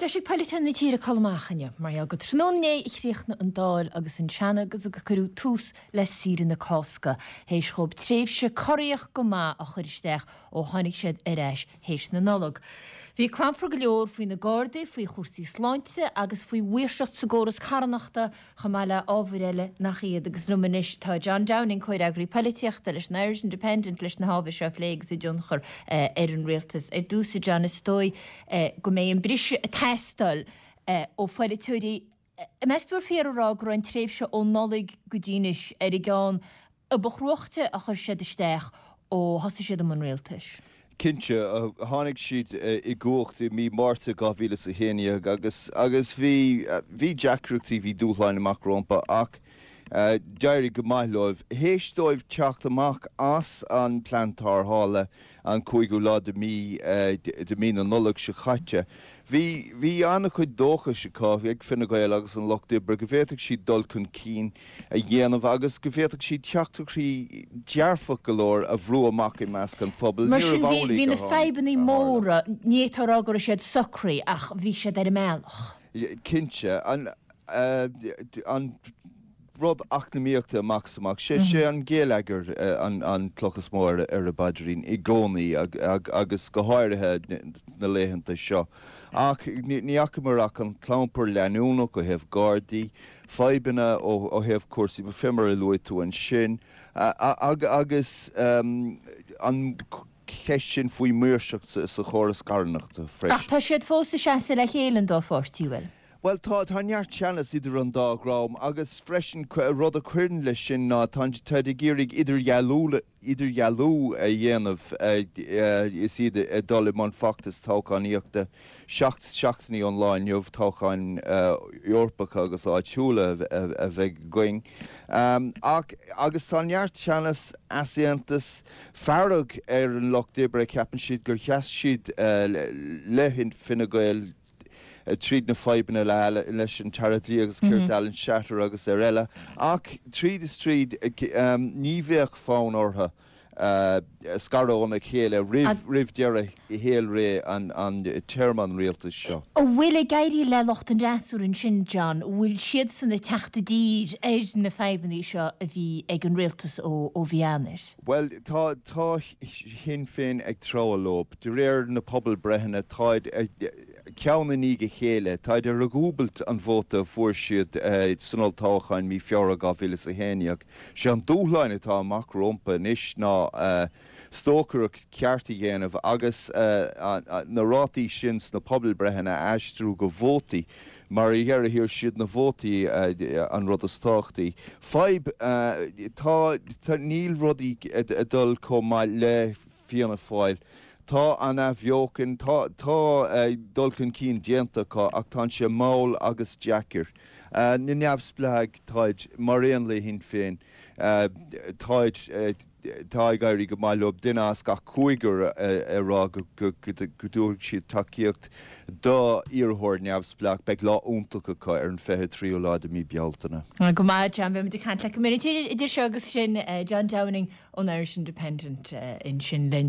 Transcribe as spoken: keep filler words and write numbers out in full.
Deis ag polaiteoirí na tíre codladh amach inniu, mar gheall gur tráthnóna inné a chríochnaigh an Dáil agus an Seanad agus gur cuireadh tús le saoire na Cásca, théis dhóibh tréimhse corraitheach go maith a chur isteach ó tháinig siad ar ais théis na Nollag. Bhí clampar go leor faoi na Gardaí, faoi chúrsaí sláinte agus faoi mhaoirseacht sa gcóras carthanachta chomh maith le ábhair eile nach iad agus liom anois tá John Downing, comhfhreagraí polaitíochta leis an Irish Independent leis na hábhair seo a phlé agus a dtionchar ar an rialtas. Ar dtús, a John, is dóigh go mbeidh an briseadh ag teastáil ó pholaiteoirí. Meas tú ar fíor a rá go raibh an tréimhse ó Nollaig go dtí anois ar an gceann a ba chruachta a chuir siad isteach ó thosaigh siad i mbun rialtais? Cinnte, tháinig siad i gcumhacht i mí Márta dhá mhíle is a haon déag agus agus bhí bhí deacrachtaí, bhí dúshláin amach rompu ach d'éirigh go maith leo. Théis dóibh teacht amach as an plean tarrthála an cúigiú lá de mí de mí na Nollag seo caite, bhí bhí an-chuid dóchais acu ag Fine Gael agus an Lucht Oibre go bhféadfadh siad dul chun cinn a dhéanamh agus go bhféadfadh siad teachtaireachtaí dearfach go leor a bhrú amach i measc an phobail. Mar sin bhí bhí na fadhbanna móra, ní fhéadfá a rá go raibh siad socraithe ach bhí siad ar an mbealach. Cinnte. An an rud eacnamaíochta amach is amach, sé sé an geilleagar an an cloch is mó ar ar a bpaidrín i gcónaí agus go háirithe na laethanta seo. Ach ní fhacamar ach an clampar leanúnach ó thaobh Gardaí, fadhbanna ó ó thaobh cúrsaí fé mar a luaigh tú ansin agus an cheist sin faoi mhaoirseacht sa chóras carthanachta freisin. Ach tá siad fós ag seasamh le chéile an dá pháirtí, bhfuil? Bhuel, tá, tá neart teannas idir an dá dhream agus freisin rud a chuireann leis sin ná tá táid ag iarraidh idirdhealú idirdhealú a dhéanamh is iad ag dul i mbun feachtas toghchánaíochta seacht seachtainí ón lá inniu, toghcháin Eorpacha agus áitiúla a bheidh againn. Ach agus tá neart teannas, easaontas, fearg ar an Lucht Oibre, ceapann siad gur sheas siad le Fine Gael tríd na fadhbanna le leis an tAire Dlí agus Cirt Alan Shatter agus ar eile, ach tríd is tríd ní bheadh fonn orthu scaradh óna chéile roimh roimh deireadh shaolré an an téarma an rialtais seo. An bhfuil ag éirí le lucht an fhreasúra ansin, John, an bhfuil siadsan ag teacht i dtír ar na fadhbanna seo a bhí ag an rialtas ó ó mhí Eanáir? Bhuel, tá tá Sinn Féin ag treabhadh leo. De réir na pobalbreitheanna, táid ceann i ndiaidh a chéile, táid ar dhúbailt an vóta a fuair siad san olltoghchán mí Feabhra dhá mhíle is a haon déag. Sé an dúshláin atá amach rompu anois ná stocaireacht ceart a dhéanamh agus na rátaí sin sna pobalbreitheanna a aistriú go vótaí, mar ar dheireadh thiar siad na vótaí an rud is tábhachtaí. Fadhb, tá, níl rudaí ag dul chomh maith le Fianna Fáil. Tá an athbheochan, tá, tá dul chun cinn déanta acu ach tá sé mall agus deacair. Na neamhspleáigh, táid mar aon le Shinn Féin, táid, tá ag éirí go maith leo, duine as gach cúigear ag rá go dtabharfaidh siad tacaíocht do iarrthóir neamhspleách. Beidh lá iontach acu ar an fiche tríú lá de mí Bealtaine. Go maith, John, beidh muid ag caint leat go minic idir seo agus sin. John Downing ón Irish Independent ansin linn.